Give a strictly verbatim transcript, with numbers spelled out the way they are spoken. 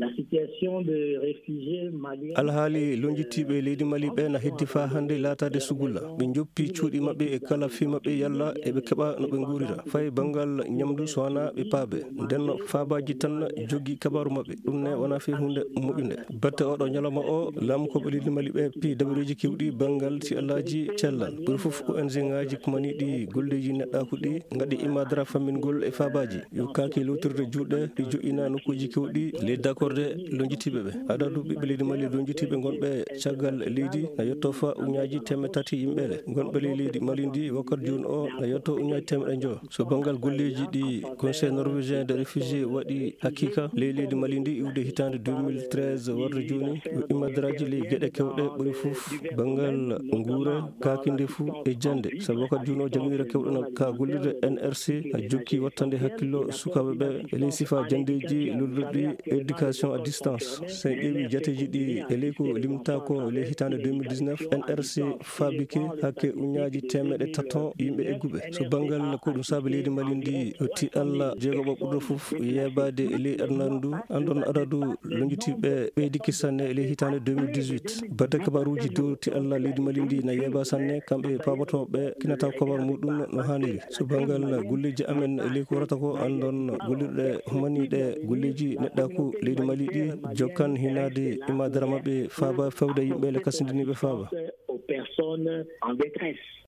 La situation de réfugiés maliens. Alhaali lonjitiiɓe leydi Mali ɓe na heddi faa hannde laataade sugulla. Ɓe njoppi cuuɗi maɓɓe e kala fii maɓɓe yalla eɓe keɓa no ɓe nguurira. Fay banngal ñamdu so wanaa ɓe paabe. Nden no faabaaji tan jogi kabaaru maɓɓe. Ɗum ne wonaa fii huunde moƴƴunde. Batte oɗo ñalawma o, laamukooɓe leydi Mali ɓe pii dabareeji keewɗi banngal si alaaji cellal. Ɓuri fof O N G ŋaaji kumaniiɗi golleeji neɗɗaaku ɗi ngaɗi imaadara fammingol e faabaaji. Yo kaaki lootirde juuɗe ɗi joƴƴina nokkuuji keewɗi ley dakorde lonjitiiɓe ɓe. Adadu ɓiɓɓe leydi Mali lonjitiiɓe ngonɓe caggal leydi na yotto fa uñaaji teemeɗɗe tati yimɓeele. Ngonɓe ley leydi Mali ndi wakkati jooni o na yotto uñaaji teemeɗɗe njo. So banngal golleeji ɗi Conseil norvégien de réfugié waɗi hakiika ley leydi Mali ndi iwde hitaande deux mille treize warde jooni, yo imadaraaji ley geɗe kewɗe ɓuri fof banngal nguura, kaaki ndefu e jannde. Sabu wakkati jooni o jannginira kewɗo na ka gollirde N R C na jokki wattande hakkillo sukaaɓe ɓe e ley sifa janndeeji lolluɗi éducation à distance. So en ƴeewi jateeji ɗi e ley ko limtaa ko ley hitaande deux mille dix-neuf, N R C faabike hakke uñaaji teemeɗɗe tato yimɓe egguɓe. So banngal ko ɗum saabi leydi Mali ndi yo ti Allah jeegoɓo ɓurɗo fof yeebaade e ley aduna ndu, anndon adadu lonjitiiɓe ɓeydiki sanne e ley hitaande deux mille dix-huit. Batte kabaaruuji dow ti Allah leydi Mali ndi na yeeba sanne, kamɓe paabotooɓe kinata kabaar muɗum no haaniri. So banngal golleeji amen e ley ko warata ko, anndon gollirɗe humaniiɗe golleeji neɗɗaaku leydi Mali ɗi jokkan hinaade imaadara maɓɓe faaba fewde yimɓe le kasindiniiɓe faaba. Aux personnes en détresse.